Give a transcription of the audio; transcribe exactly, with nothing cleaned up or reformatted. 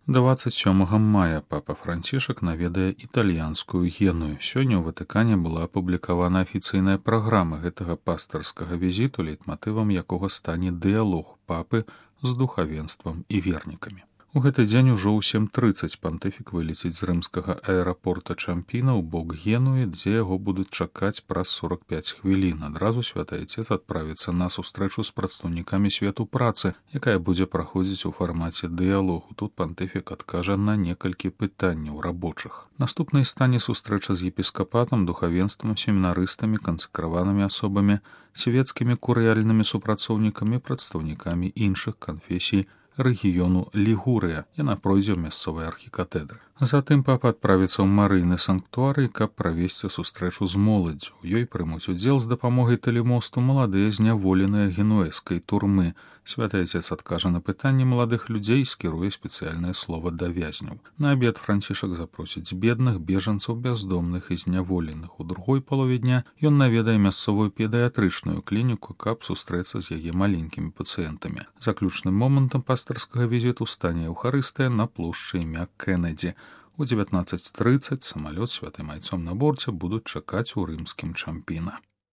дваццаць сёмага мая папа Францішак наведае італьянскую Геную. Сёння ў Ватыкане была апублікавана афіцыйная праграма гэтага пастырскага візіту, лейтматывам якога стане дыялог папы з духавенствам і вернікамі. У гэты дзень ужо ў сем трыццаць пантыфік вылеціць з рымскага аэрапорта Чампіна ў бок Генуі, дзе яго будуць чакаць праз сорак пяць хвілін. Адразу святы айцец адправіцца на сустрэчу з прадстаўнікамі свету працы, якая будзе праходзіць у фармаце дыялогу. Тут пантыфік адкажа на некалькі пытанняў рабочых. Наступнай стане сустрэча з епіскапатам, духавенствам, семінарыстамі, кансакраванымі асобамі, свецкімі курыяльнымі супрацоўнікамі, прадстаўнікамі іншых канфесій рэгіёну Лігурыя. Яна пройдзе ў мясцовай архікатедры. Затым папа адправіцца ў марыйны санктуарый, каб правесці сустрэчу з моладдзю. У ёй прымуць удзел з дапамогай тэлемосту маладыя зняволеныя генуэзскай турмы. Святы айцец адкажа на пытанні маладых людзей і скіруе спецыяльнае слова да вязняў. На абед Францішак запросіць бедных, бежанцаў, бяздомных і зняволеных. У другой палове дня ён наведае мясцовую педыятрычную клініку, каб сустрэцца з яе маленькімі пацыентамі. Заключным момантам пастырскага візіту стане Еўхарыстыя на плошчы імя Кеннеді. У дзевятнаццаць трыццаць самалёт з святым айцом на борце будуць чакаць у рымскім Чампіна.